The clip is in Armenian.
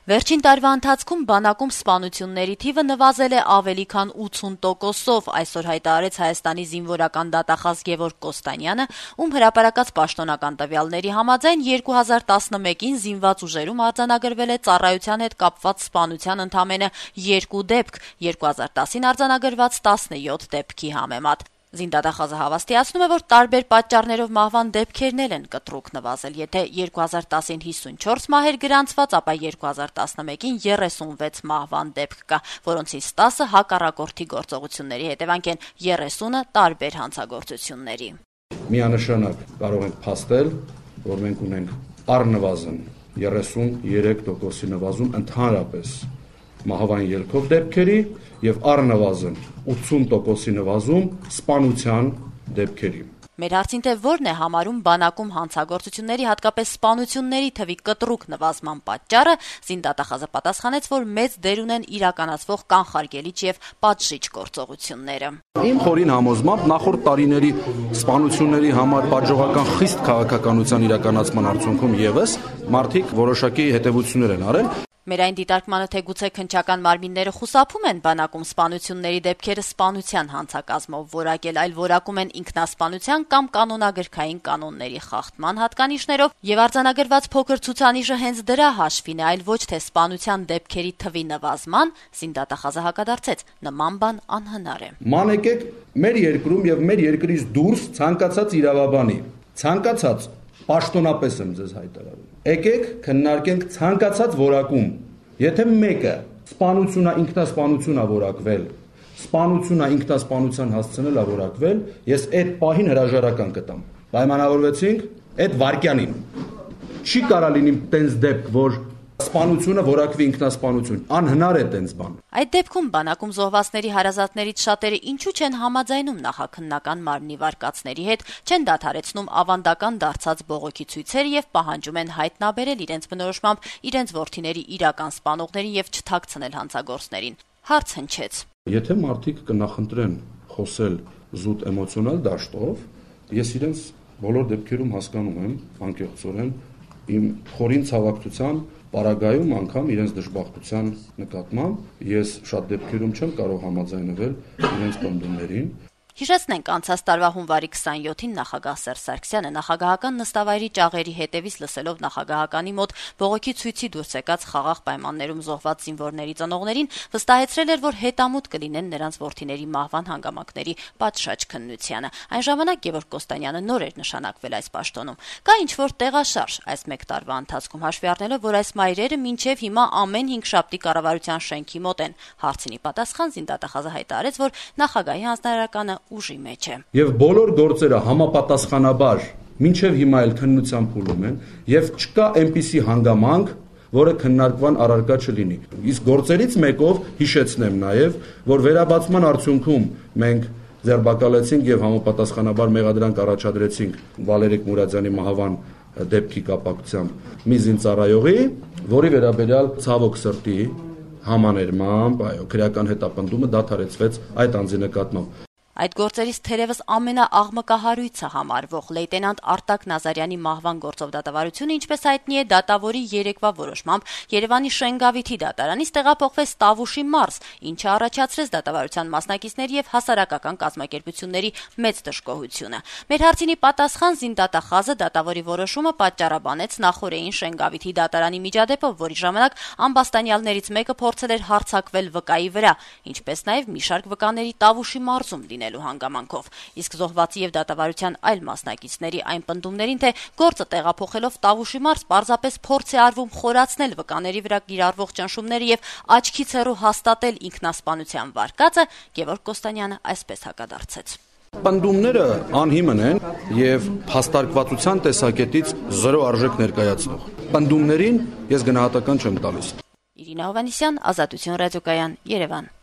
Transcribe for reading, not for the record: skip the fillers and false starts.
Վերջին տարվա ընթացքում բանակում սպանությունների թիվը նվազել է ավելի քան 80%-ով, այսօր հայտարարեց Հայաստանի զինվորական դատախազ Գևորգ Կոստանյանը, ում հրապարակած պաշտոնական տվյալների համաձայն 2011-ին զինված ուժերում արձանագրվել է ծառայության հետ կապված սպանության ընդամենը 2 դեպք, 2010-ին արձանագրված 17 դեպքի համեմատ։ Զինդատախազը հավաստիացնում է, որ տարբեր պատճառներով մահվան դեպքերն են կտրուկ նվազել, եթե 2010-ին 54 մահեր գրանցված, ապա 2011-ին 36 մահվան դեպք կա, որոնցից 10-ը հակառակորդի գործողությունների հետևանք են, 30-ը տարբեր հանցագործությունների։ Միանշանակ կարող ենք փաստել, որ մենք ունենք առնվազն 33%-ի նվազում ընդհանրապես մահվան ելքով դեպքերի եւ առնվազն 80%-ի նվազում սպանության դեպքերի։ Մեր հարցին թե որն է համարում բանակում հանցագործությունների, հատկապես սպանությունների թվի կտրուկ նվազման պատճառը, զինդատախազը պատասխանեց, որ մեծ դեր ունեն իրականացվող կանխարգելիչ եւ պատժիչ գործողությունները։ Իմ խորին համոզմամբ նախորդ տարիների սպանությունների համար պատժողական խիստ քաղաքականության իրականացման արդյունքում եւս մարդիկ որոշակի հետևություններ են արել։ Մեր այն դիտարկմանը թե գուցե քննչական մարմինները խուսափում են բանակում սպանությունների դեպքերը սպանության հանցակազմով որակել, այլ որակում են ինքնասպանության կամ կանոնագրքային կանոնների խախտման հատկանիշներով, եւ արձանագրված փոքր ցուցանիշը հենց դրա հաշվին է, այլ ոչ թե սպանության դեպքերի թվի նվազման, զինդատախազը հակադարձեց, նման բան անհնար է։ Ման եկեք մեր երկրում եւ մեր երկրից դուրս ցանկացած իրավաբանի, ցանկացած պաշտոնապես եմ ձեզ հայտարարում։ Եկեք քննարկենք ցանկացած որակում, եթե մեկը սպանությունա ինքնասպանությունա որակվել, սպանությունա ինքնասպանության հասցնելա որակվել, ես այդ պահին հրաժարական կտամ։ Պայմանավորվեցինք այդ վարկյանին։ Չի կարա լինի տենց դեպք, որ սպանությունը որակվի ինքնասպանություն, անհնար է տենց բան։ Այդ դեպքում բանակում զոհվածների հարազատներից շատերը ինչու չեն համաձայնում նախաքննական մարմնի վարկածների հետ, չեն դադարեցնում ավանդական դարձած բողոքի ցույցերը եւ պահանջում են հայտնաբերել իրենց բնորոշմամբ իրենց որդիների իրական սպանողներին եւ չթաքցնել հանցագործներին։ Հարց հնչեց. Եթե մարդիկ կնախընտրեն խոսել զուտ էմոցիոնալ դաշտով, ես իրենց բոլոր դեպքերում հասկանում եմ անկեղծորեն իմ խորին ցավակցության Պարագայում անգամ իրենց դժբախտության նկատմամբ ես շատ դեպքերում չեմ կարող համաձայնվել իրենց պնդումներին։ Հիշեցնենք անցած տարվա հունվարի 27-ին նախագահ Սերժ Սարգսյանը նախագահական նստավայրի ճաղերի հետևից լսելով նախագահականի մոտ բողոքի ցույցի դուրս եկած խաղաղ պայմաններում զոհված զինվորների ծնողներին վստահեցրել էր, որ հետամուտ կլինեն նրանց որդիների մահվան հանգամանքների պատշաճ քննությանը։ Այն ժամանակ Գևորգ Կոստանյանը նոր էր նշանակվել այս պաշտոնում։ Կա ինչ-որ տեղաշարժ այս մեկ տարվա ընթացքում, հաշվի առնելով, որ այս մայրերը մինչև հիմա ամեն 5 շաբթի կառավարության շենքի մոտ են։ Հարցինի պատասխան զինդատախազը հայտարարեց, որ նախագահի հանձնարարականը ուժի մեջ է։ Եվ բոլոր գործերը համապատասխանաբար մինչև հիմա էլ քննության փուլում են եւ չկա այնպիսի հանգամանք, որը քննարկման առարկա չլինի։ Իսկ գործերից մեկով հիշեցնեմ նաեւ, որ վերաբացման արդյունքում մենք ձերբակալեցինք եւ համապատասխանաբար մեղադրանք առաջադրեցինք Վալերիկ Մուրադյանի մահվան դեպքի կապակցությամբ մի զինծառայողի, որի վերաբերյալ ցավոք սրտի համաներմամբ, քրեական հետապնդումը դադարեցվեց այդ անձի նկատմամբ։ Այդ գործերից թերևս ամենաաղմկահարույցը համարվող լեյտենանտ Արտակ Նազարյանի մահվան գործով դատավարությունը, ինչպես հայտնի է, դատավորի երեկվա որոշմամբ Երևանի Շենգավիթի դատարանից տեղափոխվեց Տավուշի մարզ, ինչը առաջացրեց դատավարության մասնակիցների եւ հասարակական կազմակերպությունների մեծ դժգոհությունը։ Մեր հարցինի պատասխան զինդատախազը դատավորի որոշումը պատճառաբանեց նախօրեին Շենգավիթի դատարանի միջադեպով, որի ժամանակ ամբաստանյալներից մեկը փորձել էր հարձակվել վկայի վրա, ինչպես նաեւ մի շարք վկաների Տավուշի մարզում հանգամանքով, իսկ զոհվածի եւ դատավարության այլ մասնակիցների այն պնդումներին, թե գործը տեղափոխելով Տավուշի մարզ պարզապես փորձ է արվում խորացնել վկաների վրա կիրառվող ճնշումները եւ աչքից հեռու հաստատել ինքնասպանության վարկածը, Գևորգ Կոստանյանը այսպես հակադարձեց. Պնդումները անհիմն են եւ հաստարկվածության տեսակետից զրո արժեք ներկայացնող։ Պնդումներին ես գնահատական չեմ տալիս։ Իրինա Հովհաննիսյան, Ազատություն ռադիոկայան, Երևան։